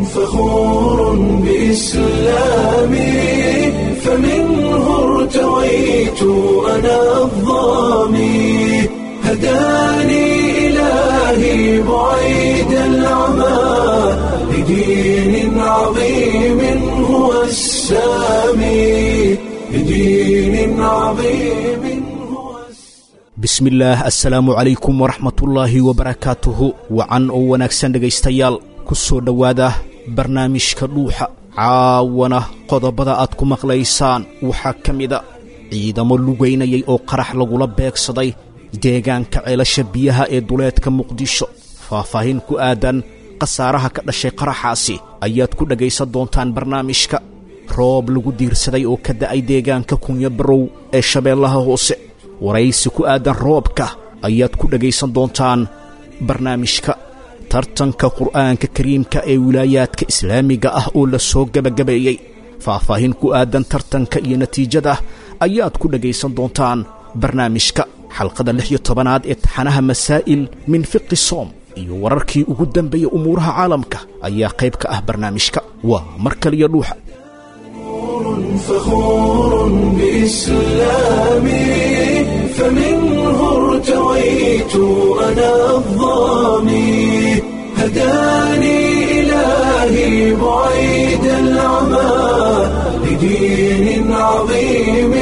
فخور بإسلامي، فمنه ارتويت أنا الظامي، هداني إلهي بعيد العمى لدين عظيم هو السامي، لدين عظيم هو السامي. Bismillaah, assalaamu calaykum waraxmatullaahi wabarakaatuhu. Wacan oo wanaagsan dhegaystayaal, ku soo dhowaada barnaamijka Dhuuxa. Caawana qodobada aad ku maqlaysaan waxaa ka mida ciidamo lugaynayay oo qarax lagula beegsaday deegaanka Ceelasha Biyaha ee duleedka Muqdisho. Faahfaahin ku aadan khasaaraha ka dhashay qaraxaasi ayaad ku dhegaysan doontaan barnaamijka. Roob lagu diirsaday oo ka da'ay deegaanka Kunya Barow ee Shabeellaha Hoose, waraysi ku aadan roobka ayaad ku dhegaysan doontaan barnaamijka. Tartanka Qur'aanka Kariimka ee wilaayaadka islaamiga ah oo la soo gebagabeeyey, faahfaahin ku aadan tartanka iyo natiijada ayaad ku dhegaysan doontaan barnaamijka. Xalqada 16aad ee taxanaha Masaa'il min Fiqi Soom iyo wararkii ugu dambeeyey umuuraha caalamka ayaa qayb ka ah barnaamijka. Waa mar kaliya Dhuuxa. فخور بإسلامي، فمنه ارتويت أنا الظامي، هداني إلهي بعيد العمى لدين عظيم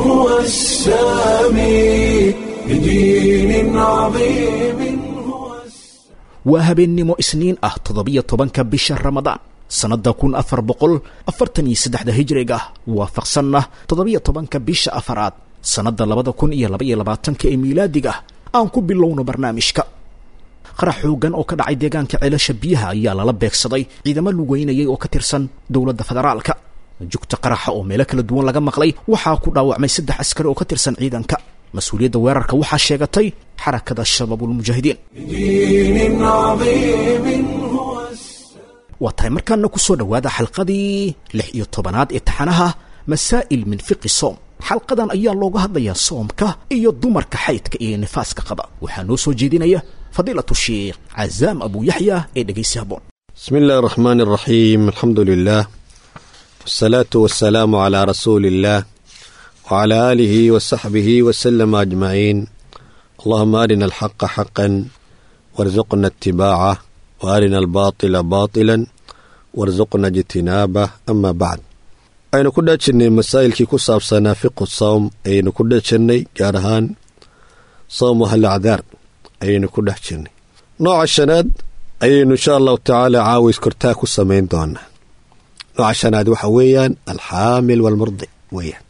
هو السامي، لدين عظيم هو السامي. Waa habeennimo Isniin ah, 17-ka bisha Ramadaan sannadda 1443-da hijriga, waafaqsanna 17-ka bisha afaraad sannadda 2022-ka ee miilaadiga. Aan ku bilowno barnaamijka. Qarax xoogan oo ka dhacay deegaanka Ceelasha Biyaha ayaa lala beegsaday ciidamo lugeynayay oo ka tirsan dowladda federaalka. Jugta qaraxa oo meelo kala duwan laga maqlay waxaa ku dhaawacmay saddex askari oo ka tirsan ciidanka. Mas-uuliyadda weerarka waxaa sheegatay Xarakada Shabaabulmujaahidiin. لدين عظيم هو السامي. Waa tahay, markaana ku soo dhowaada xalqadii 16aad ee taxanaha Masaa'il min Fiqi Soom. Xalqadan ayaa looga hadlayaa soomka iyo dumarka xaydka iyo nifaaska qaba. Waxaa noo soo jeedinaya fadiilatu Sheikh Cazaam Abu Yaxya ee dhegaysi haboon. بسم الله الرحمن الرحيم، الحمد لله والصلاة والسلام على رسول الله وعلى آله وصحبه وسلم أجمعين. اللهم أرنا الحق حقا وارزقنا اتباعه، وأرنا الباطل باطلا وارزقنا اجتنابه. أما بعد، aynu ku dhajirnay masaa'ilkii ku saabsanaa fiqu sawm ayaynu ku dhajirnay, gaar ahaan sawmu ahli acdaar ayaynu ku dhex jirnay. Nooca shanaad ayaynu insha Allahu tacaala caawis kortaa ku samayn doonaa. Nooca shanaad waxa weeyaan alxaamil walmurdic weeyaan,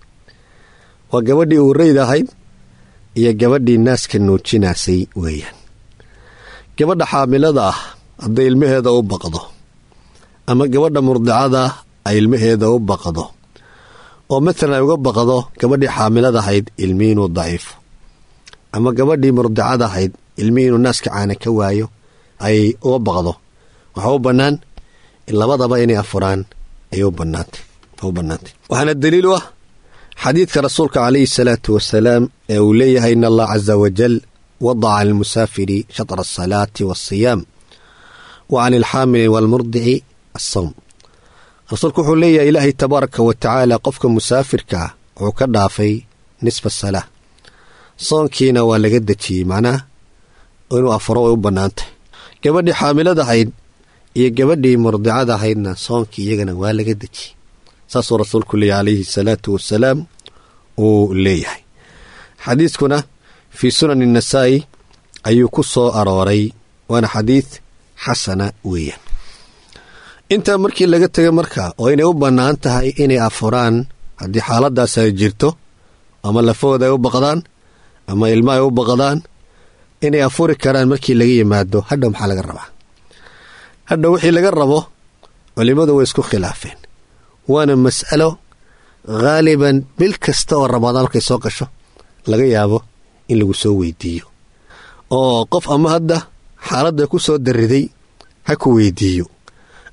waa gabadhii uureyda ahayd iyo gabadhii naaska nuujinaasay weeyaan. Gabadha xaamilada ah hadday ilmaheeda u baqdo ama gabadha murdicada ah ay ilmaheeda u baqdo, oo matalan ay uga baqdo gabadhii xaamilada ahayd ilmihii inuu daciifo ama gabadhii murdicada ahayd ilmihii inuu naaska caana ka waayo ay uga baqdo, waxaa u bannaan labadaba inay afuraan ayay u bannaantay. Waxaana daliil u ah xadiidka rasuulka calayhi salaatu wasalaam ee uu leeyahay: "In Allah caza wajal wadaca cani almusaafiri shatra asalaati waasiyaam wa can alxaamili waalmurdici assawm." Rasuulku wuxuu leeyahay, Ilaahay tabaaraka wa tacaala qofka musaafirka ah wuxuu ka dhaafay nisfa salaa, soonkiina waa laga dejiyey, macnaha inuu afuro way u bannaantahay. Gabadhii xaamilada ahayd iyo gabadhii murdicada ahaydna soonkii iyagana waa laga dejiyey, saasuu rasuulku leeyahay calayhi salaatu wasalaam uu leeyahay. Xadiiskuna fii Sunani Nasaa'i ayuu ku soo arooray, waana xadiid xasana weeyaan. Intaa markii laga tegay marka oo inay u bannaan tahay inay afuraan haddii xaaladaas ay jirto, ama lafahooda ay u baqdaan ama ilma ay u baqdaan, inay afuri karaan markii laga yimaado, hadhow maxaa laga rabaa? Hadhow wixii laga rabo culimmadu way isku khilaafeen, waana mas'alo haaliban bil kasta oo Ramadaan markay soo gasho laga yaabo in lagu soo weydiiyo, oo qof ama hadda xaaladda ku soo dariday ha ku weydiiyo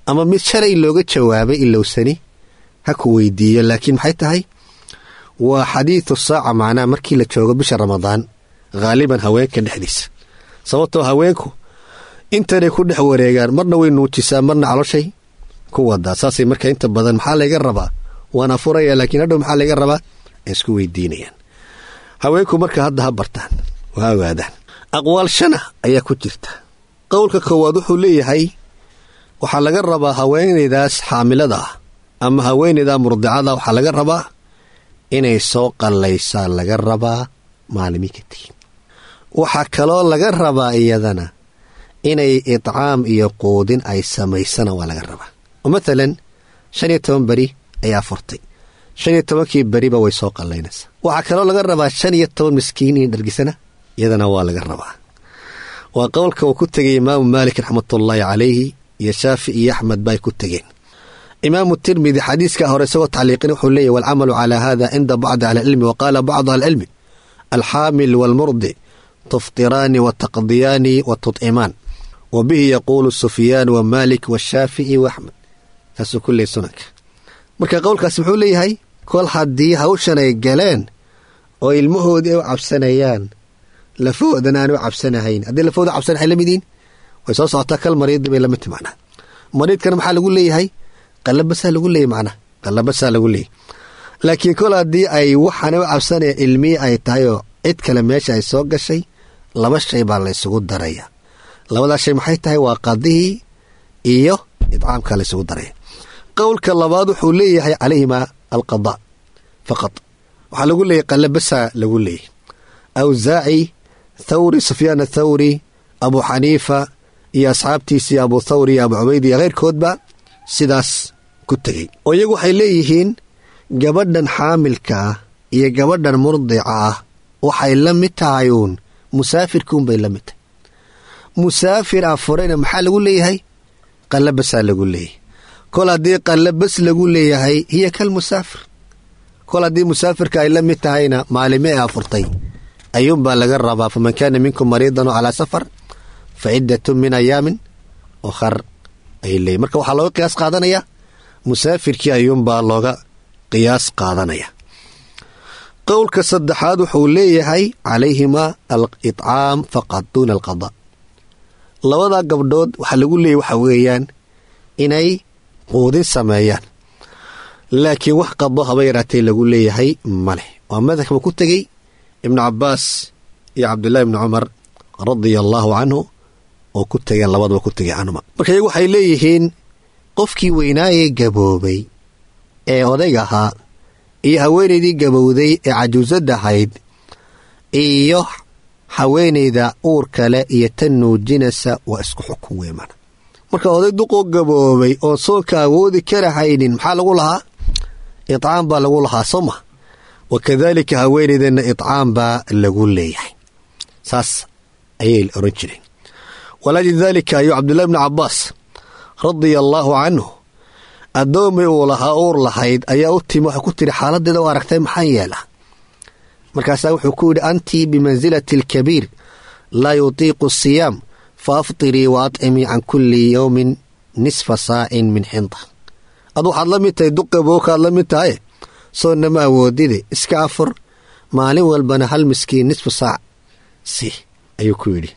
ama mid shalay looga jawaabay ilowsani ha ku weydiiyo. Laakiin maxay tahay? Waa xadiidu saaca, macnaha markii la joogo bisha Ramadaan haaliban haweenka dhexdiisa, sababtoo haweenku intanay ku dhex wareegaan, marna way nuujisaa, marna caloshay ku wadaa. Saasay marka inta badan maxaa layga rabaa, waan afuraya, laakiin hadhow maxaa layga rabaa ay isku weydiinayaan. Haweenku marka hadda ha bartaan oo ha ogaadaan. Aqwaal shana ayaa ku jirta. Qowlka koowaad wuxuu leeyahay waxaa laga rabaa haweenaydaas xaamilada ah ama haweenayda murdicada, waxaa laga rabaa inay soo qallaysaa laga rabaa maalimi ka tegin. Waxaa kaloo laga rabaa iyadana inay itcaam iyo quudin ay samaysana waa laga rabaa. Oo matalan 15 beri ayaa furtay, 15kii beriba way soo qallaynaysaa. Waxaa kaloo laga rabaa 15 miskiin in dhargisana iyadana waa laga rabaa. Waa qowlka uu ku tegay Imaamu Maalik raxmatullaahi calayhi iyo Shaafici iyo Axmed bay ku tegeen. Imaamu Tirmidi xadiiska hore isagoo tacliiqin wuxuu leeyahy walcamalu calaa hada cinda bacdi ahlicilmi, wa qaala bacdu ahlicilmi alxaamil waalmurdi tuftiraani wa taqdiyaani wa tutcimaan, wa bihi yaquulu Sufyaan wa Maalik washaafici wa Axmed. Saasuu ku leeyay sunanka. Marka qowlkaasi muxuu leeyahay kol haddii hawshan ay galeen oo ilmahoodii ay u cabsanayaan, lafahoodana aan u cabsanahayn, haddii lafahooda cabsanahay la midiin way soo socotaa kal mariidi bay lamid tahay macnaha. Mariidkana maxaa lagu leeyahay? Qalabasaa lagu leeyahy macnaha, qalabasaa lagu leeyahy. Laakiin kol haddii ay waxaana u cabsanaya ilmihii ay tahay oo cid kale meesha ay soo gashay, laba shay baa la ysugu daraya. Labadaas shay maxay tahay? Waa qadihii iyo idcaamka la ysugu daraya. Qowlka labaad wuxuu leeyahay calayhima alqadaa faqad, waxaa lagu leeyahy qalabasaa lagu leeyahy. Awsaaci, Thawri, Sufyaan Athawri, Abu Xaniifa iyo asxaabtiisii Abu Thawri iyo Abu Cubayd iyo keyrkoodba sidaas ku tegey. Oo iyagu waxay leeyihiin gabadhan xaamilka ah iyo gabadhan murdica ah waxay la mid tahay uun musaafirkuunbay la mid tahay. Musaafir afurayna maxaa lagu leeyahay? Qallabasaa lagu leeyahay. Kol haddii qallabas lagu leeyahay hiya kal musaafir. Kol haddii musaafirka ay la mid tahayna maalime ay afurtay ayuunbaa laga rabaa. Faman kaana minkum mariidan oo calaa safar fa ciddatun min ayaamin ukhar ayay leeyihin. Marka waxaa looga qiyaas qaadanaya musaafirkii ayuunbaa looga qiyaas qaadanaya. Qowlka saddexaad wuxuu leeyahay calayhima al-itcaam faqad duuna alqadaa. Labadaa gabdhood waxaa lagu leeyahy waxa weeyaan inay quudin sameeyaan, laakiin wax qado haba yaraatee lagu leeyahay ma leh. Waa madhabka ku tegey Ibnu Cabaas iyo Cabdullahi ibni Cumar radia allaahu canhu oo ku tegeen, labadaba ku tegay canhuma. Marka iyagu waxay leeyihiin qofkii weynaayee gaboobay ee odayga ahaa iyo haweenaydii gabowday ee cajuusadda ahayd iyo haweenayda uur kale iyo tan nuujinaysa waa isku xukun wey mana. Marka oday duqoo gaboobay oon soonka awoodi karahaynin maxaa lagu lahaa? Itcaam baa lagu lahaa, soo ma? Wakadaalika haweenaydeenna itcaam baa lagu leeyahay, saas ayay oran jireen. Walaajli daalika ayuu Cabdullahi bni Cabaas radia allaahu canhu addoomay uu lahaa uur lahayd ayaa u timi, waxay ku tiri xaaladeeda u aragtay maxaan yeelaa? Markaasaa wuxuu ku yidhi antii bimansilati alkabiir laa yutiiqu asiyaam fa aftirii wa atcimii can kulli yowmin nisfa saacin min xinta. Ad waxaad la mid tahay duqabookaad la mid tahay, soonna ma awoodide, iska afur, maalin walbana hal miskiin nisfu saac si ayuu ku yidhi.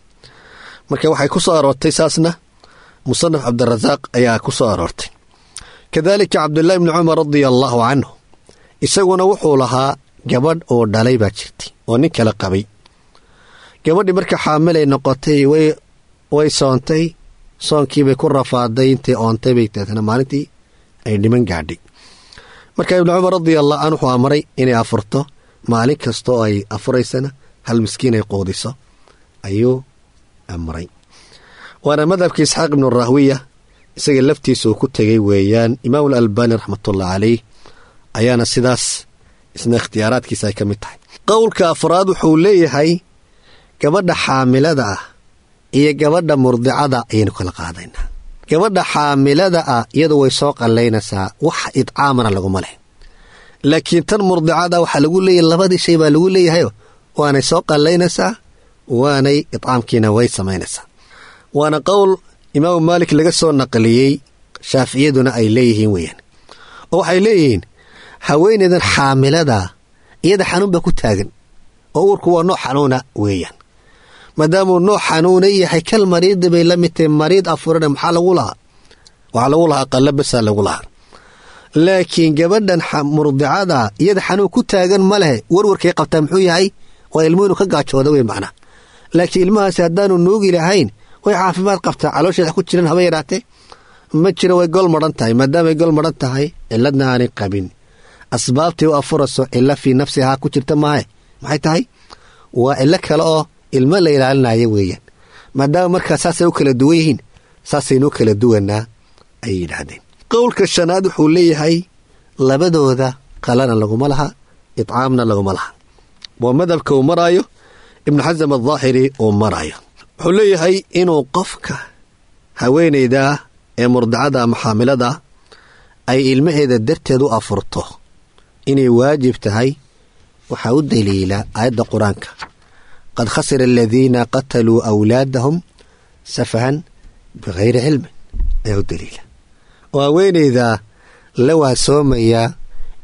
Marka waxay ku soo aroortay saasna musanaf Cabdirasaaq ayaa ku soo aroortay. Kadaalika Cabdullaahi bni Cumar radia allaahu canhu isaguna wuxuu lahaa gabadh oo dhalay baa jirtay oo nin kale qabay. Gabadhii marka xaamilay noqotay way soontay, soonkiibay ku rafaaday, intay oontay bay deetana maalintii ay dhiman gaadhay. Marka Ibnu Cumar radia allahu canhu wuxuu amray inay afurto, maalin kastoo ay afuraysana hal miskiin ay quudiso ayuu amray. Waana madhabka Isxaaq ibnu Rahwiya isaga laftiisa uu ku tegay weeyaan. Imaamu Alalbani raxmatullahi caleyh ayaana sidaas isna ikhtiyaaraadkiisa ay ka mid tahay. Qowlka afraad wuxuu leeyahay gabadha xaamilada ah iyo gabadha murdicada ayaynu kala qaadaynaa. Gabadha xaamilada ah iyadu way soo qallaynaysaa, wax idcaamana laguma leh. Laakiin tan murdicada waxaa lagu leeyahay labadii shay baa lagu leeyahayo, waanay soo qallaynaysaa, waanay idcaamkiina way samaynaysaa. Waana qowl Imaamu Maalik laga soo naqliyey, Shaaficiyaduna ay leeyihiin weeyaan. Oo waxay leeyihiin haweenaydan xaamilada iyada xanuun baa ku taagan, oo uurku waa nooc xanuuna weeyaan. Maadaamuu nooc xanuuna yahay kal mariidi bay la mid tahay, mariid afurana maxaa lagu lahaa? Waxaa lagu lahaa qalla basaa lagu lahaa. Laakiin gabadhan murdicada iyada xanuun ku taagan ma lehe, warwarkay qabtaa muxuu yahay? Waa ilmuhu inuu ka gaajooda wey macnaa. Laakiin ilmahaasi haddaanu nuugi lahayn way caafimaad qabtaa, caloosheeda ku jiran haba yaraatee ma jiro, way gol madhan tahay. Maadaamay gol madhan tahay, ciladna aanay qabin, asbaabtay u afurayso cilo fii nafsihaa ku jirta maahe, maxay tahay? Waa cilo kale oo ilmo la ilaalinaya weeyaan. Maadaama markaa saasay u kala duwan yihiin, saasaynuu kala duwanaa ayay yidhaahdeen. Qowlka shanaad wuxuu leeyahay labadooda qalana laguma laha, itcaamna laguma laha. Waa madhabka uu maraayo Ibnu Xasam Aldaahiri uu maraayo. Wuxuu leeyahay inuu qofka haweenayda ee murdicada ama xaamilada ay ilmaheeda darteed u afurto inay waajib tahay, waxaa u daliila aayadda Qur-aanka: "Qad khasira aladiina qataluu awlaadahum safahan bikayri cilmin" ayaa u daliila. Oo haweenayda la waasoomaya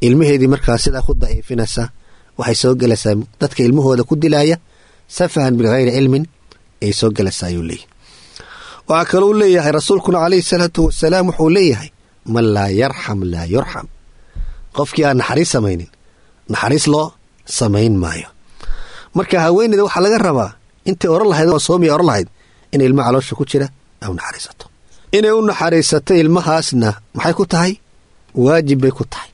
ilmaheedii markaa sidaa ku daciifinaysa waxay soo gelaysaa dadka ilmahooda ku dilaaya safahan bikayri cilmin ayay soo gelaysaa, ayuu leeyahy. Waxaa kalou leeyahay rasuulkuna calayhi salaatu wasalaam wuxuu leeyahay: "Man laa yarxam laa yurxam." Qofkii aan naxariis samaynin naxariis loo samayn maayo. Marka haweeneyda waxaa laga rabaa intay oran lahayd oo soomiya oran lahayd in ilmaha caloosha ku jira ay u naxariisato. Inay u naxariisato ilmahaasna maxay ku tahay? Waajib bay ku tahay.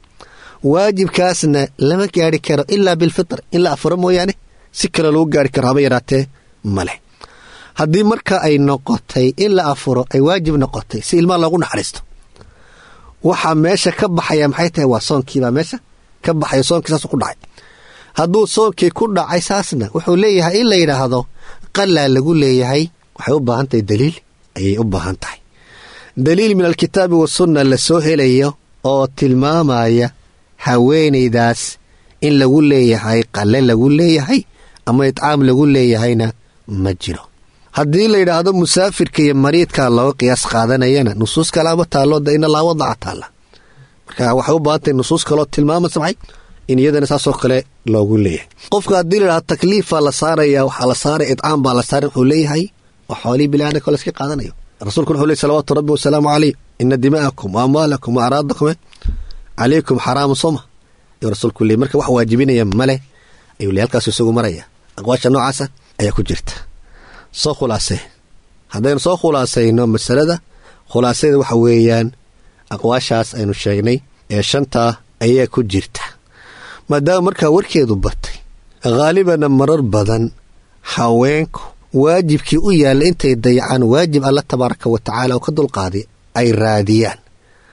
Waajibkaasna lama gaari karo ilaa bilfitr, in la afuro mooyaane si kale lagu gaari karo haba yaraatee maleh. Haddii marka ay noqotay in la afuro ay waajib noqotay si ilmaha loogu naxariisto, waxaa meesha ka baxaya maxay tahay? Waa soonkiibaa meesha ka baxaya. Soonkii saasuu ku dhacay. Hadduu soonkii ku dhacay saasna, wuxuu leeyahay in la yidhaahdo qalaa lagu leeyahay waxay u baahan tahay daliil ayay u baahan tahay. Daliil min alkitaabi wasunna la soo helayo oo tilmaamaya haweenaydaas in lagu leeyahay qale lagu leeyahay ama itcaam lagu leeyahayna ma jiro. Haddii la yidhaahdo musaafirka iyo mariidka looga qiyaas qaadanayana, nusuus kalaaba taallo da ina laa wadaca taalla. Marka waxay u baahan tahay nusuus kaloo tilmaamaysa maxay in iyadana saasoo kale loogu leeyahay. Qofka haddii la yidhahdo takliifaa la saaraya, waxaa la saaraya itcaam baa la saaray, wuxuu leeyahay waa xoolihii biniaadamka la iska qaadanayo. Rasuulkuna wuxuu ley salawaatu rabbi wasalaamu caleyh: "Ina dima'akum wa amwaalakum wa acraadakum calaykum xaraamu," sooma ayuu rasuulku leey. Marka wax waajibinaya male ayuu ley, halkaasu isagu maraya. Aqwaasha noocaasa ayaa ku jirta. Soo khulaasee, haddaynu soo khulaasayno masalada, khulaasadeeda waxa weeyaan aqwaashaas aynu sheegnay ee shantaa ayaa ku jirta. Maadaama markaa warkeedu batay, khaalibana marar badan haweenku waajibkii u yaalla intay dayacaan waajib Alla tabaaraka wa tacaala oo ka dulqaaday ay raadiyaan,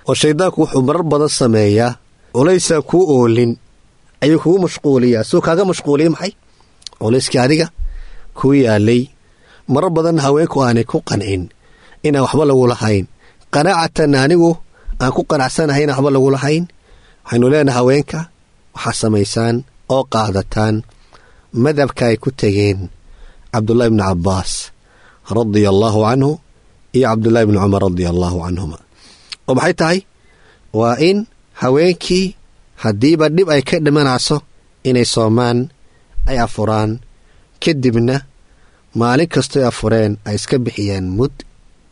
oo shayddaanku wuxuu marar badan sameeyaa culaysaan kuu oolin ayuu kugu mashquuliyaa, suu kaaga mashquuliya maxay culayskii adiga kuu yaalay. Marar badan haweenku aanay ku qancin inaan waxba lagu lahayn, qanaacatan anigu aan ku qanacsanahay inaan waxba lagu lahayn. Waxaynu leenahay haweenka waxaa samaysaan oo qaadataan madhabka ay ku tegeen Cabdullahi bni Cabbaas radia allaahu canhu iyo Cabdullahi bni Cumar radia allaahu canhuma. Oo maxay tahay? Waa in haweenkii haddiiba dhib ay ka dhimanayso inay soomaan ay afuraan, kadibna maalin kastoy afureen ay iska bixiyaan mud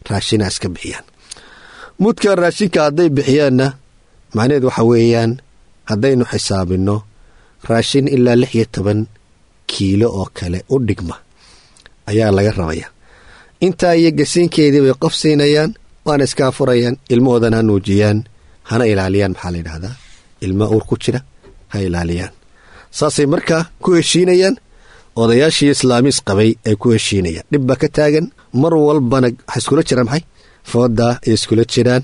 raashina iska bixiyaan. Mudka raashinka hadday bixiyaanna, macnaheed waxa weeyaan haddaynu xisaabinno raashin ilaa 16 kiilo oo kale u dhigma ayaa laga rabaya. Intaa iyo gasiinkeedii bay qof siinayaan, waana iska afurayaan, ilmahoodana ha nuujiyaan, hana ilaaliyaan. Maxaa la yidhaahdaa? Ilma uur ku jira ha ilaaliyaan. Saasay markaa ku heshiinayaan odayaashii islaamiis qabay ay ku heshiinayaan. Dhib baa ka taagan mar walbana, waxay iskula jiraan maxay foodaa ay iskula jiraan.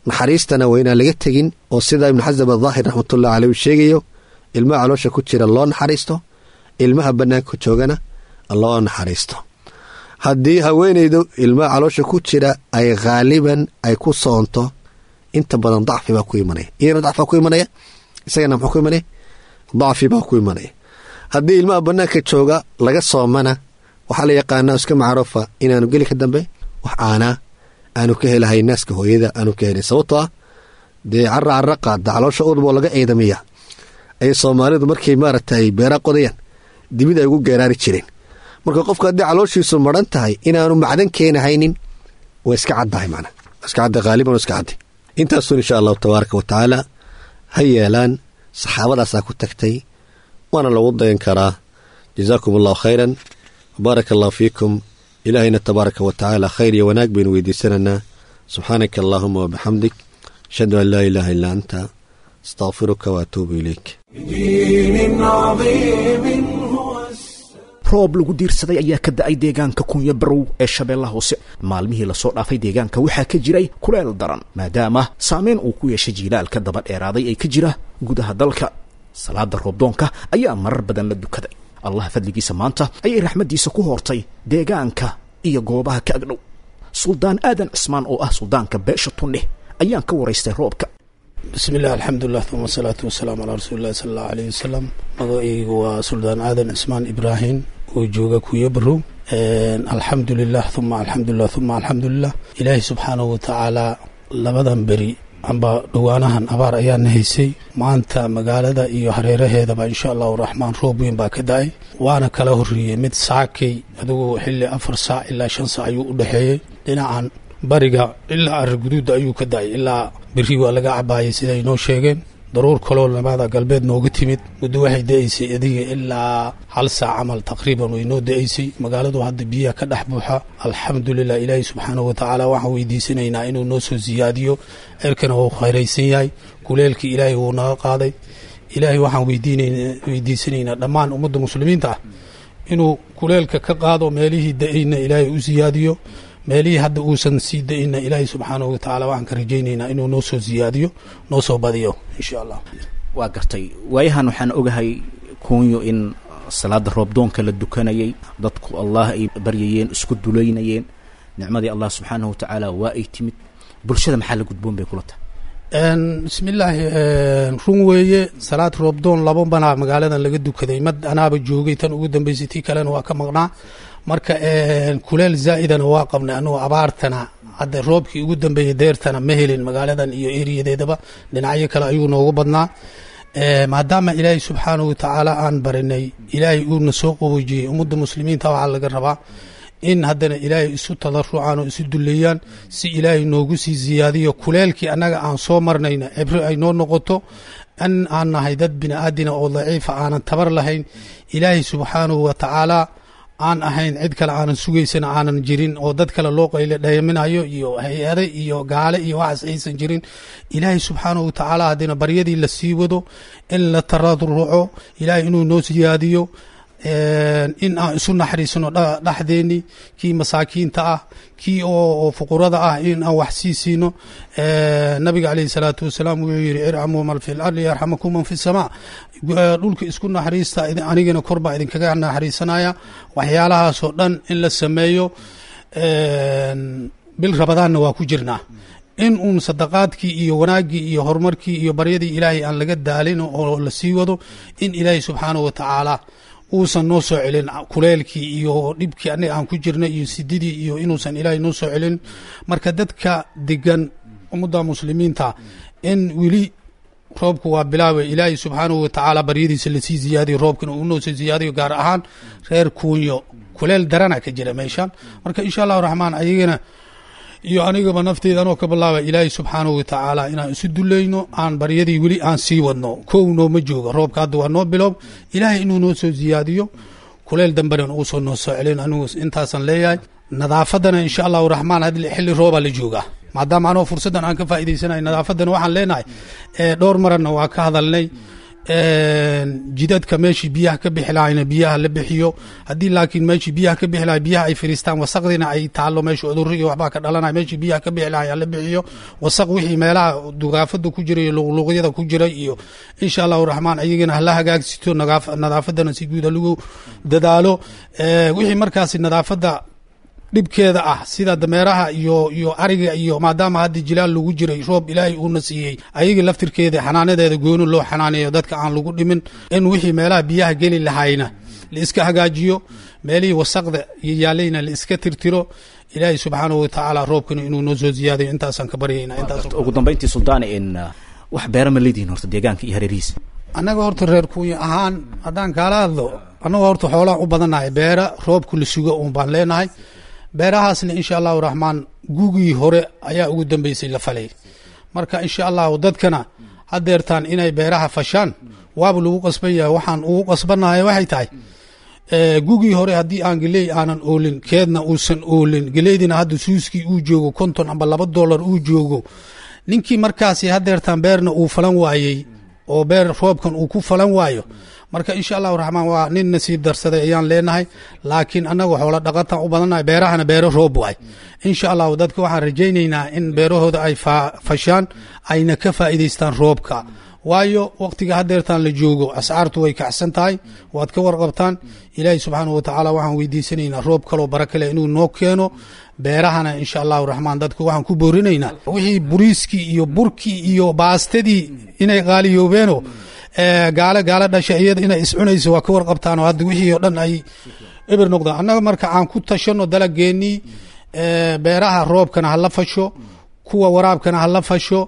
Naxariistana waa inaan laga tegin, oo sidaa Ibnu Xasam adaahir raxmatullahi caleyh uu sheegayo, ilmaha caloosha ku jira loo naxariisto, ilmaha bannaanka joogana loo naxariisto. Haddii haweenaydu ilmaha caloosha ku jira ay khaaliban ay ku soonto, inta badan dacfi baa ku imanaya, iyana dacfi baa ku imanaya, isagana muxuu ku imanaya? Dacfi baa ku imanaya. Haddii ilmaha bannaanka jooga laga soomana, waxaa la yaqaanaa iska macruufa inaanu geli ka dambe wax aanaa aanu ka helahay naaska hooyada aanu ka helay, sababtoo ah dee cara cara qaada caloosha udboo laga ciidamiya ayay Soomaalidu markay maaragtay beera qodayaan dibid ay ugu geeraari jireen. Marka qofka haddii calooshiisu maran tahay inaanu macdan keenahaynin waa iska caddahay macna. Iska cadda, qaaliban iska caddi. Intaasun insha allahu tabaaraka wa tacaala ha yeelaan. Saxaabadaasaa ku tagtay, waana lagu dayan karaa. Jazaakum allahu khayran, baaraka allahu fiikum. Ilaahayna tabaaraka wa tacaala khayr iyo wanaag baynu weydiisanaynaa. Subxaanaka allahuma wabixamdik, ashhadu an laa ilaaha illaa anta, astaqfiruka waatuubu ilayk. بدين عظيم هو السلام. Roob lagu diirsaday ayaa ka da'ay deegaanka Kunya Barow ee Shabeellaha Hoose. Maalmihii lasoo dhaafay deegaanka waxaa ka jiray kuleel daran, maadaama saameyn uu ku yeeshay jiilaalka daba dheeraaday ee ka jira gudaha dalka. Salaada roobdoonka ayaa marar badan la dukaday. Allah fadligiisa maanta ayay raxmaddiisa ku hoortay deegaanka iyo goobaha ka agdhow. Suldaan Aadan Cismaan oo ah suldaanka beesha Tundheh ayaan ka waraystay roobka. Bismi illah, alxamdulilah, uma asalaatu wasalaamu calaa rasuuli illahi sala allahu alayh wasalam. Magacaygu waa Suldaan Aadan Cismaan Ibraahim oo jooga Kuya Barow. Alxamdulilah, uma alxamdulilah, uma alxamdulilah. Ilaahay subxaanahu watacaala labadan beri amba dhowaanahan abaar ayaana haysay. Maanta magaalada iyo hareeraheedaba insha allahu raxmaan roob weyn baa ka da-ay, waana kala horreeyey mid saakay adigu xilli 4 saac ilaa 5 saac ayuu u dhexeeyey. Dhinacan bariga ilaa Araguduudda ayuu ka da-ay, ilaa beri waa laga cabaayay siday noo sheegeen. Daruur kaloo lamada galbeed nooga timid muddo waxay da-aysay adiga ilaa 1 saac camal taqriiban way noo da-aysay. Magaaladu hadda biyaha ka dhex buuxa, alxamdulilah. Ilaahi subxaanahu watacaala waxaan weydiisanaynaa inuu noo soo siyaadiyo. Cirkana wuu khayraysan yahay, kuleelkii ilaahay wuu naga qaaday. Ilaahay waxaan weydiisanaynaa dhammaan ummadda muslimiinta ah inuu kuleelka ka qaado, meelihii da-ayna ilaahay u siyaadiyo, meelihii hadda uusan sii da-inna ilaahay subxaanahu watacaala waxaan ka rajaynaynaa inuu noo soo siyaadiyo, noo soo badiyo insha allah. Waa gartay. Waayahan waxaan ogahay Kuunyo in salaada roobdoonka la dukanayay, dadku Allah ay baryayeen, isku dulaynayeen. Nicmadii Allah subxaanahu watacaala waa ay timid. Bulshada maxaa la gudboon bay kula tahay? Bismillaahi, run weeye. Salaad roobdoon laba banaa magaaladan laga dukaday. Mad anaaba joogay tan ugu dambeysay, tii kalena waa ka maqnaa. Marka kuleel zaa'idana waa qabnay anagoo abaartana. Hadda roobkii ugu dambeeyey deertana ma helin magaaladan iyo eriyadeedaba, dhinacyo kale ayuu noogu badnaa. Maadaama ilaahay subxaanahu watacaala aan barinay, ilaahay uuna soo qaboojiyey, ummadda muslimiinta waxaa laga rabaa in haddana ilaahay isu tadarucaan oo isu duleeyaan si ilaahay noogu sii siyaadiyo kuleelkii annaga aan soo marnayna, cibro ay noo noqoto in aan nahay dad bini aadina oo daciifa, aanan tabar lahayn, ilaahay subxaanahu watacaala aan ahayn cid kale aanan sugaysana aanan jirin, oo dad kale loo qayle dhayaminayo iyo hay-ade iyo gaale iyo waxaas aysan jirin. Ilaahay subxaanahu watacaala haddina baryadii la sii wado, in la tararuco ilaahay inuu noo siyaadiyo, in aan isu naxariisno dhexdeeni, kii masaakiinta ah, kii oo fuqurada ah in aan wax sii siino. Nabiga calayhi salaatu wasalaam wuxuu yidhi: "Irxamuu man fi lardi yarxamakum man fi samaa." Dhulka isku naxariista, anigana kor baa idinkaga naxariisanaya. Waxyaalahaasoo dhan in la sameeyo. Bil Ramadaanna waa ku jirnaa, in uun sadaqaadkii iyo wanaaggii iyo horumarkii iyo baryadii ilaahay aan laga daalin oo la sii wado, in ilaahay subxaanahu watacaala uusan noo soo celin kuleelkii iyo dhibkii anaga aan ku jirnay iyo sididii iyo inuusan ilaahay noo soo celin. Marka dadka degan, ummadda muslimiinta, in weli roobku waa bilaabay, ilaahay subxaanahu watacaala baryadiisa lasii ziyaadiyo, roobkana uu noo soo ziyaadiyo. Gaar ahaan reer Kuunyo kuleel darana ka jira meeshan. Marka insha allahu raxmaan ayagana iyo anigaba nafteyda anoo ka bilaaba, ilaahay subxaanahu watacaala inaan isu dulayno, aan baryadii weli aan sii wadno. Kow nooma jooga roobka, hadda waa noo biloob. Ilaahay inuu noo soo ziyaadiyo, kuleel dambena uusan noo soo celin, anigu intaasaan leeyahay. Nadaafadana insha allahu raxmaan hadda xilli roobaa la joogaa, maadaama anoo fursaddan aan ka faa'iidaysanayo, nadaafaddana waxaan leenahay, dhowr maranna waa ka hadalnay, jidadka meeshii biyaha ka bixi lahayna biyaha la bixiyo. Haddii laakiin meeshii biyaha ka bixi lahay biyaha ay fariistaan, wasaqdiina ay taallo meesha, cudurro iyo waxbaa ka dhalanaya. Meeshii biyaha ka bixi lahay la bixiyo wasaq, wixii meelaha dugaafada ku jiray iyo luqluqyada ku jiray iyo insha allahu raxmaan ayagana hala hagaagsito. Nadaafaddana si guud ha lagu dadaalo. Wixii markaasi nadaafadda dhibkeeda ah, sida dameeraha iyo ariga iyo, maadaama hadda jilaal lagu jiray, roob ilaahay uuna siiyey, ayaga laftirkeeda xanaanadeeda gooni loo xanaaneeyo, dadka aan lagu dhimin. In wixii meelaha biyaha geli lahayna la iska hagaajiyo, meelihii wasaqda iyo yaalayna la iska tirtiro. Ilaahay subxaanahu watacaala roobkana inuu noo soo ziyaadayo intaasaan ka baryayna intaas. Ugu dambeyntii suldaane, in wax beera ma leedihiin horta deegaanka iyo hareerihiisa? Annaga horta reer Kuunya ahaan haddaan kaala hadlo, annaga horta xoolaan u badannahay, beera roobku la sugo uun baan leenahay. Beerahaasna insha allahu raxmaan gugii hore ayaa ugu dambeysay la falay. Marka insha allahu dadkana hadeertaan inay beeraha fashaan waaba lagu qasban yahay. Waxaan ugu qasbanahay waxay tahay gugii hore haddii aan geley aanan oolin, keedna uusan oolin, geleydina hadda suuskii uu joogo 50 amba $2 uu joogo, ninkii markaasi hadeertaan beerna uu falan waayey oo beer roobkan uu ku falan waayo, marka insha allahu raxmaan waa nin nasiib darsaday ayaan leenahay. Laakiin annaga xoola dhaqataan u badannahay, beerahana beero roob waay. Insha allahu dadka waxaan rajaynaynaa in beerahooda ay fashaan ayna ka faa'iidaystaan roobka, waayo waqtiga hadeertaan la joogo ascaartu way kacsan tahay, waad ka warqabtaan. Ilaahay subxaanahu watacaala waxaan weydiisanaynaa roob kaloo baraka leh inuu noo keeno. Beerahana insha allahu raxmaan dadka waxaan ku boorinaynaa wixii buriiskii iyo burkii iyo baastadii inay qaaliyoobeeno gaalo gaalo dhasha iyada inay iscunayso waa ka warqabtaan oo hadda wixii oo dhan ay eber noqdaan. Annaga marka aan ku tashano dalageenii, beeraha roobkana hala fasho, kuwa waraabkana hala fasho.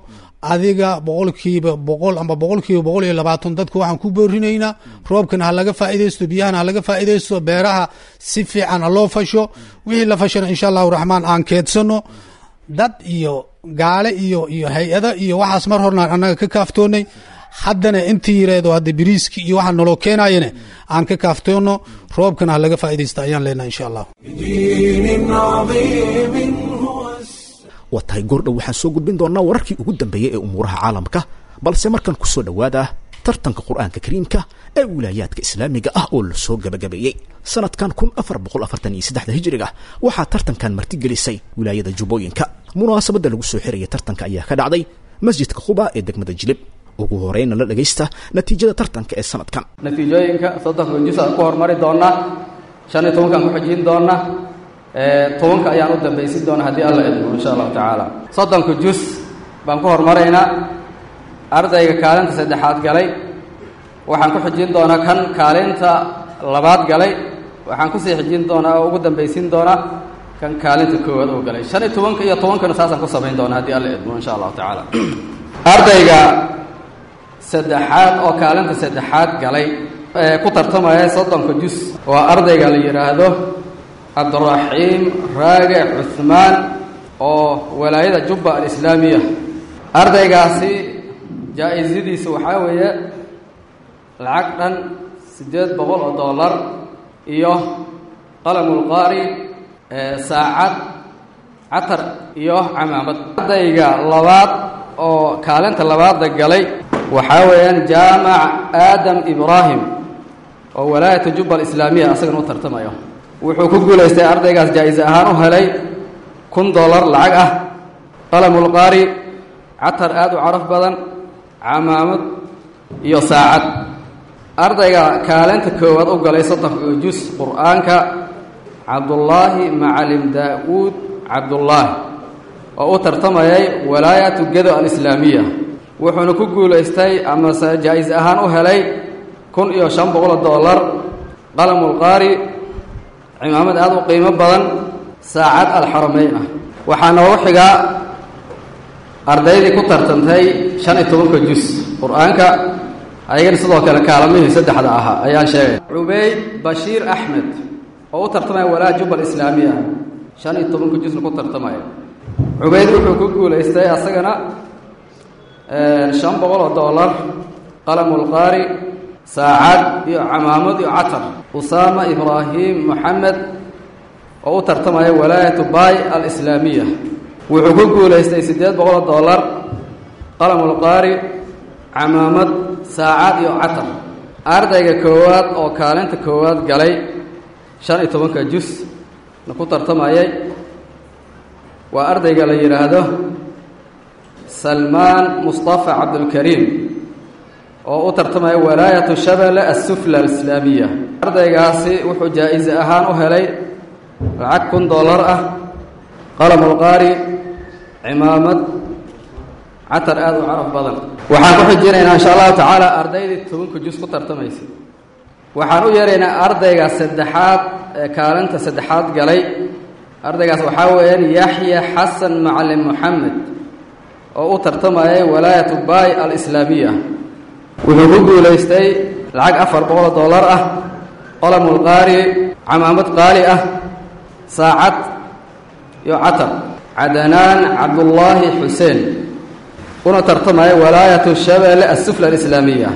Adiga 100% amba 120% dadka waxaan ku boorinaynaa roobkana ha laga faa'iidaysto, biyahana ha laga faa'iidaysto, beeraha si fiican ha loo fasho. Wixii la fashana insha allahu raxmaan aan keedsano. Dad iyo gaale iyo hay-ada iyo waxaas mar hornaan annaga ka kaaftoonay, haddana intii yireedo hadda biriiski iyo waxaa naloo keenayane aan ka kaaftoono, roobkana ha laga faa'iidaysta ayaan leenahay insha allah. بدين عظيم هو Waa tahay, goordhow waxaan soo gudbin doonaa wararkii ugu dambeeyey ee umuuraha caalamka, balse markan ku soo dhowaada tartanka Qur'aanka Kariimka ee wilaayaadka islaamiga ah oo la soo gabagabeeyey sanadkan 1443-da hijriga. Waxaa tartankan martigelisay wilaayada Jubbooyinka. Munaasabadda lagu soo xiraya tartanka ayaa ka dhacday masjidka Quba ee degmada Jilib. Ugu horeyna la dhagaysta natiijada tartanka ee sanadkan. Natiijooyinka 30-ka juz aan ku hormari doonaa, 15-kaan ku xijin doonaa, 10-ka ayaan u dambaysin doonaa haddii Alla idmo insha allahu tacaala. 30-ka juz baan ku hormaraynaa. Ardayga kaalinta saddexaad galay waxaan ku xijin doonaa kan kaalinta labaad galay, waxaan kusii xijin doonaa oo ugu dambaysin doonaa kan kaalinta koowaad oo galay. 15-ka iyo 10-kana saasaan ku samayn doonaa haddii Alla idmo insha allahu tacaala. Ardayga saddexaad oo kaalinta saddexaad galay ee ku tartamaya 30-ka juz waa ardayga la yidhaahdo Cabdiraxiim Raage Cuhmaan oo walaayada Jubba Alislaamiya. Ardaygaasi jaa-isadiisa waxaa weeye lacag dhan $800 iyo qalamulqaari, saacad, catar iyo camaamad. Ardayga labaad oo kaalinta labaadda galay waxaa weeyaan Jaamac Aadam Ibraahim oo walaayata Jubba Alislaamiya asagana u tartamayo. Wuxuu ku guulaystay ardaygaas jaa-ise ahaan u helay $1000 lacag ah, qalamulqaari, catar aada u caraf badan, camaamad iyo saacad. Ardayga kaalinta koowaad u galay 30-ka juz Qur-aanka Cabdullaahi Macalim Daa-uud Cabdullaahi oo u tartamayay walaayatu Gedo Alislaamiya, wuxuuna ku guulaystay amase jaa-is ahaan u helay $1500, qalamulqaari, cimaamad aada u qiimo badan, saacad alxarameyn ah. Waxaa noogu xigaa ardaydii ku tartantay 15-ka juz Qur-aanka, ayagana sidoo kale kaalamihii saddexda ahaa ayaan sheegay. Cubayd Bashiir Axmed oo u tartamaya walaa Jubba Alislaamiya, 15-ka juzna ku tartamaya. Cubayd wuxuu ku guulaystay asagana $500, qalamulqaari, saacad iyo camaamad iyo catar. Usaama Ibraahim Moxamed oo u tartamaya walaayatu Bay Alislaamiya wuxuu ku guulaystay $800, qalamulqaari, camaamad, saacad iyo catar. Ardayga koowaad oo kaalinta koowaad galay 15-ka juz na ku tartamayay waa ardayga la yidhaahdo Salmaan Mustafa Cabdulkariim oo u tartamaya walaayatu Shabelle Assufla Alislaamiya. Ardaygaasi wuxuu jaa-ise ahaan u helay lacag $1000 ah, qalamulqaari, cimaamad, catar aada u caraf badan. Waxaan ku xijinaynaa insha allahu tacaala ardaydii 10-ka juz ku tartamaysay. Waxaan u yeeraynaa ardayga saddexaad ee kaalinta saddexaad galay. Ardaygaas waxaa weeyaan Yaxya Xasan Macalin Moxamed oo u tartamayay walaayatu Bay Alislaamiya. Wuxuu ku guulaystay lacag $400 ah, qalamulqaari, camaamad qaali ah, saacad iyo catar. Cadanaan Cabdullaahi Xuseen, una tartamaya Walaayatu Shabeelle Assufla Alislaamiya.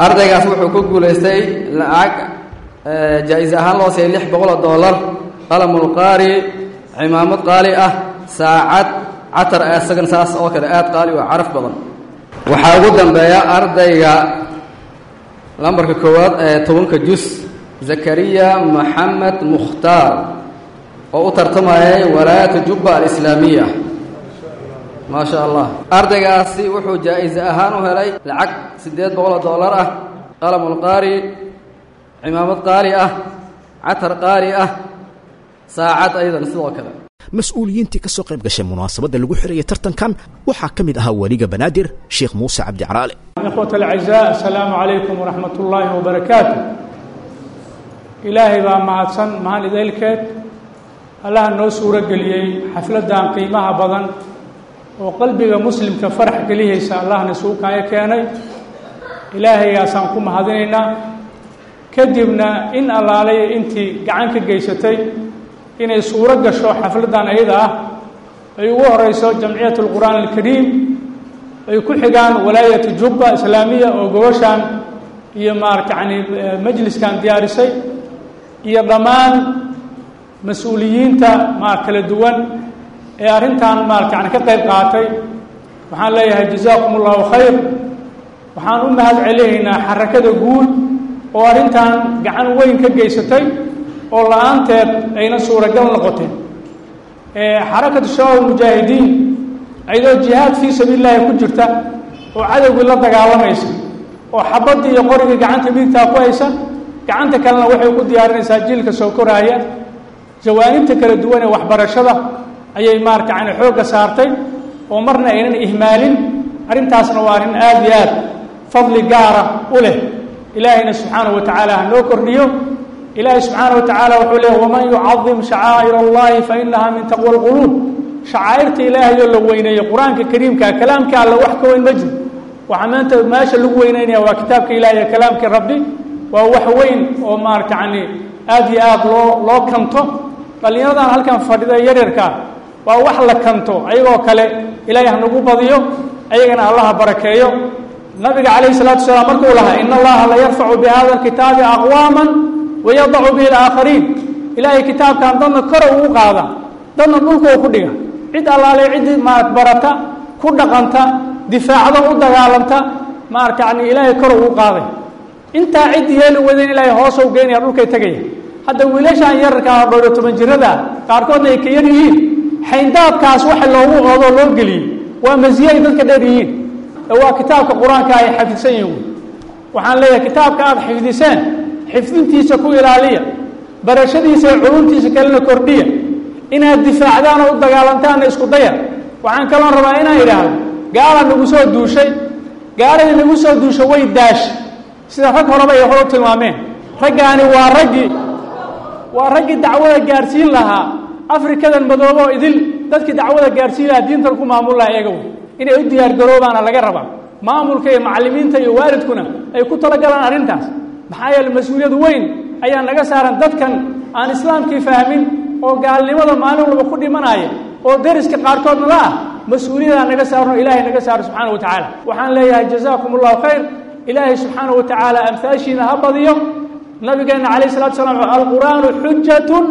Ardaygaas wuxuu ku guulaystay lacag jaa-is ahaan loo siiyay $600, qalamulqaari, cimaamad qaali ah, saacad, catar isagan saas oo kale aad qaali oo caraf badan. Waxaa ugu dambeeya ardayga lambarka koowaad ee 10-ka jus, Zakariya Maxamed Mukhtaar, oo u tartamayay Walaayatu Jubba Alislaamiya. Maa sha Allah, ardaygaasi wuxuu jaa-ise ahaan u helay lacag $800 ah, qalamulqaari, cimaamad qaali ah, catar qaali ah, saacad ayadan sidoo kale. Mas-uuliyiintii ka soo qayb gashay munaasabadda lagu xirayay tartankan waxaa ka mid ahaa weliga Banaadir, Sheekh Muuse Cabdi Caraale. إخوة الأعزاء، السلام عليكم ورحمة الله وبركاته. Ilaahay baa mahadsan mahad idaylkeed, Allaha noo suuro geliyey xafladdan qiimaha badan oo qalbiga muslimka farax gelihaysa. Allahna suukaayo keenay, Ilaahaygaasaan ku mahadinaynaa. Kadibna in allaalay intii gacan ka geysatay inay suuro gasho xafladdan ayada ah, ay ugu horeyso Jamciyat Alqur'aan Alkariim, ay ku xigaan Walaayatu Jubba Islaamiya oo gobashaan iyo maarata yani majliskan diyaarisay, iyo dhammaan mas-uuliyiinta maar kala duwan ee arrintan maarata yani ka qayb qaatay, waxaan leeyahay jazaakum Allahu khayr. Waxaan u mahad celinaynaa xarakada guud oo arrintan gacan weyn ka geysatay oo la-aanteed ayna suuragal noqoteen. Xarakatu Shabaab Mujaahidiin ayadoo jihaad fii sabiili llaahi ku jirta oo cadowgii la dagaalamaysa oo xabaddii iyo qorigii gacanta midigtaa ku haysa, gacanta kalena waxay ku diyaarinaysaa jiilka soo koraaya. Jawaanibta kala duwan ee waxbarashada ayay maarata yani xoogga saartay oo marna aynan ihmaalin. Arrintaasna waa arrin aada iyo aad fadli gaara u leh. Ilaahayna subxaanahu wa tacaala ha noo kordhiyo. Ilaahay subxaana wa tacaala wuxuu leehy: waman yucadim shacaa'ir Allahi fa inaha min taqwa alquluub. Shacaa'irta Ilaahay oo la weyneeyo, Qur-aanka Kariimka, kalaamka Alla wax ka weyn ma jiro. Waxaa maanta meesha lagu weyneynaya waa kitaabka Ilahay iyo kalaamkii Rabbi. Waa wax weyn oo maarata yani aada iyo aada loo kanto. Dhallinyaradan halkan fadhida yaryarkaa waa wax la kanto, ayagoo kale Ilaahay hanagu badiyo, ayagana Allaha barakeeyo. Nabiga calayhi salaatu wasalaam markuu lahaa: ina Allaha la yarfacu bi hada alkitaabi aqwaaman wayadacu bihi alaakhariin. Ilaahay kitaabkan dadna kora ugu qaada, dadna dhulka u ku dhiga. Cid allaale ciddii maarad barata, ku dhaqanta, difaacda, u dagaalanta, maarata yani Ilaahay kor ugu qaaday. Intaa cid yeeli wadayn, Ilaahay hoos u geynaya, dhulkay tegaya. Hadda wiilashaan yararkaa 14 jirada, qaarkoodna ay ka yar yihiin, xayndaabkaas waxa loogu oodoo loo geliyey waa masiye ay dadka dheer yihiin, ee waa kitaabka Qur-aanka ay xafidsan yihiin. Waxaan leeyahay, kitaabka aada xifdiseen xifdintiisa ku ilaaliya, barashadiisa iyo culumtiisa kalena kordhiya, inaad difaacdaan oo u dagaalantaanna isku daya. Waxaan kaloon rabaa inaan idhaahdo, gaala nagu soo duushay. Gaaladii nagu soo duushay way daashay, sida rag horeba ay hore u tilmaameen. Raggaani waa raggii dacwada gaadhsiin lahaa Afrikadan madoobo oo idil, dadkii dacwada gaadhsiin lahaa, diintan ku maamul lahaa eegow. Inay u diyaargaroobaana laga rabaa, maamulka iyo macallimiinta iyo waalidkuna ay ku talagalaan arrintaas. Maxaa yeele, mas-uuliyad weyn ayaa naga saaran dadkan aan islaamkii fahmin oo gaalnimada maalin walba ku dhimanaya oo deriska qaarkoodna la ah. Mas-uuliyadaa naga saarno, Ilaahay naga saaro subxaana wa tacaala. Waxaan leeyahay jazaakum Allahu khayr. Ilaahay subxaana wa tacaala amhaashiina ha badiyo. Nabigeena calayh salatu salaam: alqur'aanu xujatun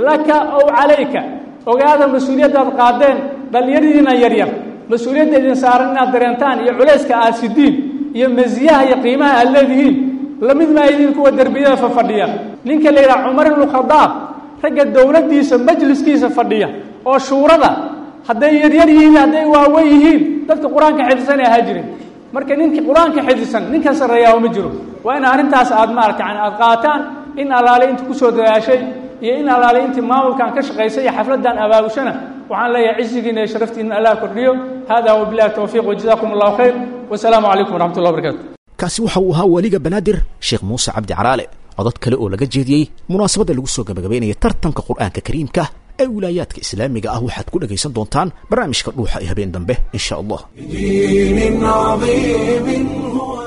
laka ow calayka. Ogaada mas-uuliyaddaad qaadeen, dhallinyaradiina yaryar, mas-uuliyadda idin saaran inaad dareentaan iyo culayska aad sidiin iyo masiyaha iyo qiimaha aad leedihiin. Lamid maa idin kuwa derbiyada fafadhiya. Ninka la yidhaha Cumar ibnu Khadaab, ragga dowladdiisa majliskiisa fadhiya oo shuurada, hadday yaryar yihiin, hadday waawen yihiin, dadka Qur-aanka xifdisan ay ahaa jireen. Marka ninkii Qur-aanka xifdisan ninkan sarreeyaa ma jiro. Waa in arrintaas aad maarata yani aada qaataan. In allaale intii kusoo dadaashay iyo in allaale intii maamulkan ka shaqaysay iyo xafladdan abaabushana, waxaan leeyahay cisigiina iyo sharaftiina Allah kordhiyo. Hada wabillahi towfiiq, wajazaakum Allahu khayr, wasalaamu calaykum waraxmat ullah barakaatu. Kaasi waxa uu ahaa weliga Banaadir, Sheekh Muuse Cabdi Caraale. Codod kale oo laga jeediyey munaasabadda lagu soo gabagabaynaya tartanka Qur'aanka Kariimka ee wilaayaadka islaamiga ah waxaad ku dhagaysan doontaan barnaamijka Dhuuxa ee habeen dambe, insha Allah. بدين عظيم هو.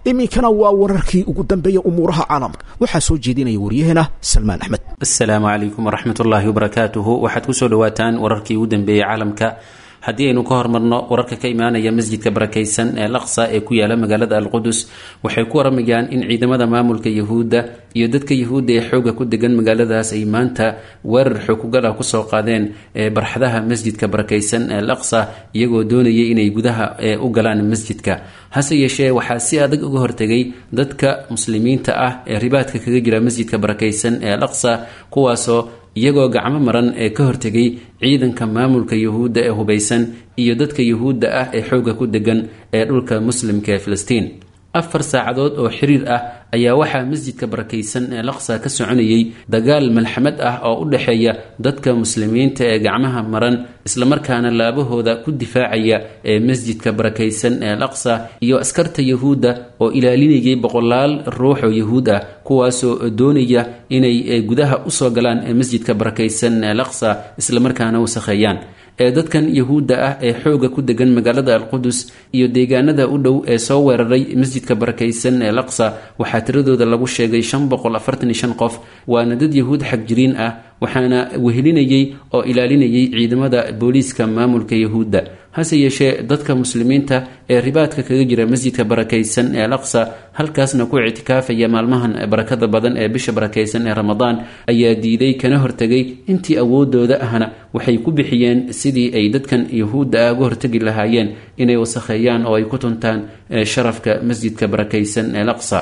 Iminkana waa wararkii ugu dambeeya umuuraha caalamka. Waxaa soo jeedinaya waryaheena Salmaan Axmed. Asalaamu calaykum waraxmatullaahi wabarakaatuhu. Waxaad kusoo dhawaataan wararkii ugu dambeeyey caalamka. Haddii aynu ka hormarno wararka ka imaanaya masjidka barakaysan ee Laqsa ee ku yaala magaalada Alqudus, waxay ku waramayaan in ciidamada maamulka Yahuudda iyo dadka Yahuudda ee xooga ku degan magaaladaas ay maanta weerar xookugal ah kusoo qaadeen ee barxadaha masjidka barakaysan ee Laqsa, iyagoo doonayay inay gudaha u galaan masjidka. Hase yeeshee waxaa si adag uga hortegay dadka muslimiinta ah ee ribaadka kaga jira masjidka barakaysan ee Laqsa, kuwaasoo iyagoo gacmo maran ee ka hortegay ciidanka maamulka Yahuudda ee hubaysan iyo dadka Yahuudda ah ee xoogga ku degan ee dhulka muslimka ee Filistiin. 4 saacadood oo xiriir ah ayaa waxaa masjidka barakaysan ee Laqsa ka soconayay dagaal malxamad ah oo u dhexeeya dadka muslimiinta ee gacmaha maran islamarkaana laabahooda ku difaacaya ee masjidka barakaysan ee Laqsa iyo askarta Yahuudda oo ilaalinayay boqolaal ruux oo Yahuud ah, kuwaasoo doonaya inay gudaha usoo galaan ee masjidka barakaysan ee Laqsa islamarkaana wasakheeyaan. Ee dadkan Yahuudda ah ee xooga ku degan magaalada Alqudus iyo deegaanada u dhow ee soo weeraray masjidka barakaysan ee Laqsa waxaa tiradooda lagu sheegay 545 qof, waana dad Yahuud xagjiriin ah, waxaana wehelinayay oo ilaalinayay ciidamada booliiska maamulka Yahuudda. Hase yeeshee dadka muslimiinta ee ribaadka kaga jira masjidka barakaysan ee Laqsa, halkaasna ku ictikaafaya maalmahan barakada badan ee bisha barakaysan ee Ramadaan, ayaa diiday kana hortegay. Intii awoodooda ahna waxay ku bixiyeen sidii ay dadkan Yahuudda ah uga hortegi lahaayeen inay wasakheeyaan oo ay ku tuntaan sharafka masjidka barakaysan ee Laqsa.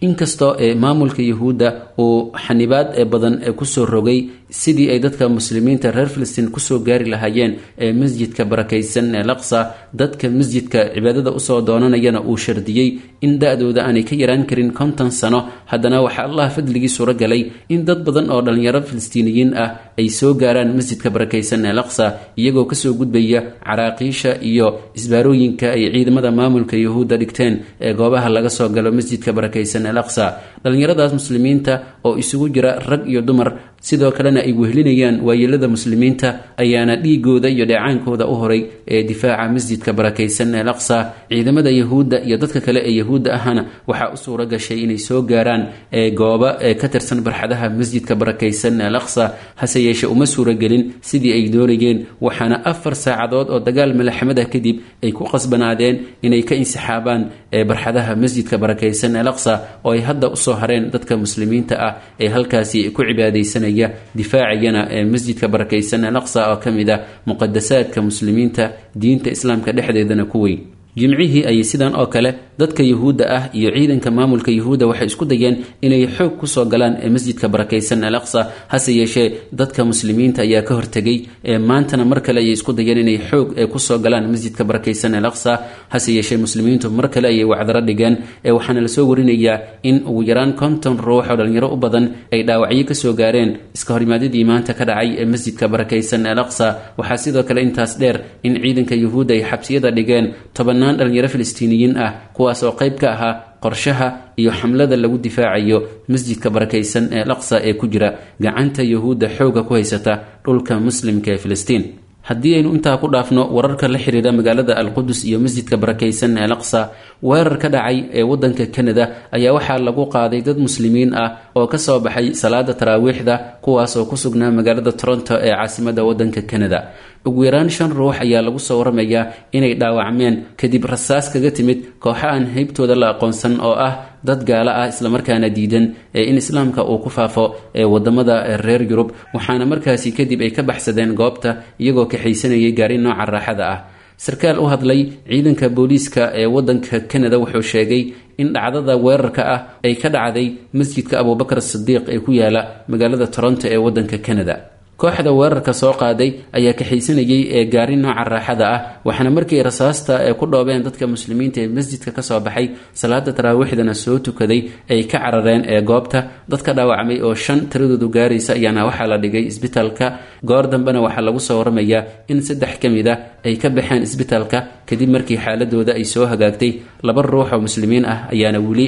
Inkastoo ee maamulka Yahuudda uu xanibaad ee badan kusoo rogay sidii ay dadka muslimiinta reer Filistiin kusoo gaari lahaayeen ee masjidka barakaysan ee Laqsa, dadka masjidka cibaadada usoo doonanayana uu shardiyey in da-dooda aanay ka yaraan karin 50 sano, haddana waxaa Allah fadligii suuro galay in dad badan oo dhallinyaro Filistiiniyiin ah ay soo gaaraan masjidka barakaysan ee Laqsa, iyagoo kasoo gudbaya caraaqiisha iyo isbaarooyinka ay ciidamada maamulka Yahuudda dhigteen ee goobaha laga soo galo masjidka barakaysan ee Laqsa. Dhallinyaradaas muslimiinta oo isugu jira rag iyo dumar, sidoo kalena ay wehlinayaan waayeelada muslimiinta, ayaana dhiigooda iyo dheecaankooda u horay ee difaaca masjidka barakaysan ee Laqsa. Ciidamada Yahuudda iyo dadka kale ee Yahuudda ahana waxaa u suura gashay inay soo gaaraan ee gooba ee ka tirsan barxadaha masjidka barakaysan ee Laqsa, hase yeeshee uma suuragelin sidii ay doonayeen, waxaana 4 saacadood oo dagaal malaxamad ah kadib ay ku qasbanaadeen inay ka insixaabaan ee barxadaha masjidka barakaysan ee Laqsa, oo ay hadda usoo hareen dadka muslimiinta ah ee halkaasi ku cibaadaysanaya, difaacayana ee masjidka barakaysan ee Laqsa oo ka mid ah muqadasaadka muslimiinta, diinta islaamka dhexdeedana ku weyn. Jimcihii ayay sidan oo kale dadka Yahuudda ah iyo ciidanka maamulka Yahuudda waxay isku dayeen inay xoog kusoo galaan ee masjidka barakaysan ee Laqsa, hase yeeshee dadka muslimiinta ayaa ka hortegay. Ee maantana mar kale ayay isku dayeen inay xoog kusoo galaan masjidka barakaysan ee Laqsa, hase yeeshee muslimiintu mar kale ayay wacdaro dhigeen. Ee waxaana lasoo warinayaa in ugu yaraan 50 ruux oo dhalinyaro u badan ay dhaawacyo kasoo gaareen iska horimaadyadii maanta ka dhacay ee masjidka barakaysan ee Laqsa. Waxaa sidoo kale intaas dheer in ciidanka Yahuudda ay xabsiyada dhigeen tobannaan dhalinyaro Filistiiniyiin ah, kuwaas oo qayb ka ahaa qorshaha iyo xamlada lagu difaacayo masjidka barakaysan ee Laqsa ee ku jira gacanta Yahuudda xooga ku haysata dhulka muslimka ee Filistiin. Haddii aynu intaa ku dhaafno wararka la xiriira magaalada Alqudus iyo masjidka barakaysan ee Laqsa, weerar ka dhacay ee wadanka Canada ayaa waxaa lagu qaaday dad muslimiin ah oo kasoo baxay salaada taraawiixda, kuwaas oo ku sugnaa magaalada Toronto ee caasimada wadanka Canada. Ugu yaraan 5 ruux ayaa lagu soo waramayaa inay dhaawacmeen kadib rasaas kaga timid kooxa aan haybtooda la aqoonsan oo ah dad gaalo ah islamarkaana diidan ee in islaamka uu ku faafo ee wadamada reer Yurub, waxaana markaasi kadib ay ka baxsadeen goobta iyagoo kaxaysanayay gaari nooca raaxada ah. Sarkaal u hadlay ciidanka booliiska ee wadanka Canada wuxuu sheegay in dhacdada weerarka ah ay ka dhacday masjidka Abuubakar Sidiiq ee ku yaala magaalada Toronto ee wadanka Canada. Kooxda weerarka soo qaaday ayaa kaxaysanayay ee gaari nooca raaxada ah, waxaana markii rasaasta ee ku dhoobeen dadka muslimiinta ee masjidka kasoo baxay salaada taraawiixdana soo tukaday ay ka carareen ee goobta. Dadka dhaawacmay oo 5 tiradoodu gaaraysa ayaana waxaa la dhigay isbitaalka. Goor dambena waxaa lagu soo waramayaa in 3 ka mid ah ay ka baxeen isbitaalka kadib markii xaaladooda ay soo hagaagtay. 2 ruux oo muslimiin ah ayaana weli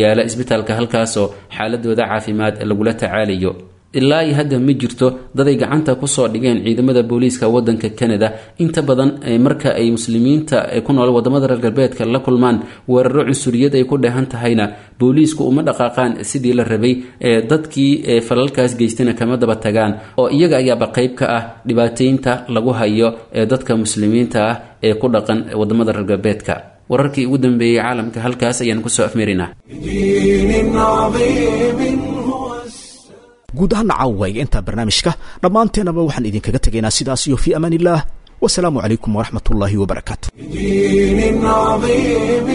yaala isbitaalka, halkaasoo xaaladooda caafimaad lagula tacaalayo. Ilaa iyo hadda ma jirto daday gacanta kusoo dhigeen ciidamada booliiska wadanka Canada. Inta badan marka ay muslimiinta ku nool wadamada reer galbeedka la kulmaan weeraro cunsuriyad ay ku dheehan tahayna, booliisku uma dhaqaaqaan sidii la rabay, dadkii falalkaas geystayna kama daba tagaan, oo iyaga ayaaba qayb ka ah dhibaateynta lagu hayo ee dadka muslimiinta ah ee ku dhaqan wadamada reer galbeedka. Wararkii ugu dambeeyey caalamka halkaas ayaan kusoo afmeerinaa. بدين عظيم هو السلام. Guud ahaana caawayga intaa barnaamijka dhammaanteenaba waxaan idinkaga tegaynaa sidaas iyo fii amaan illaah, wasalaamu calaykum waraxmat ullaahi wabarakaatu. بدين عظيم.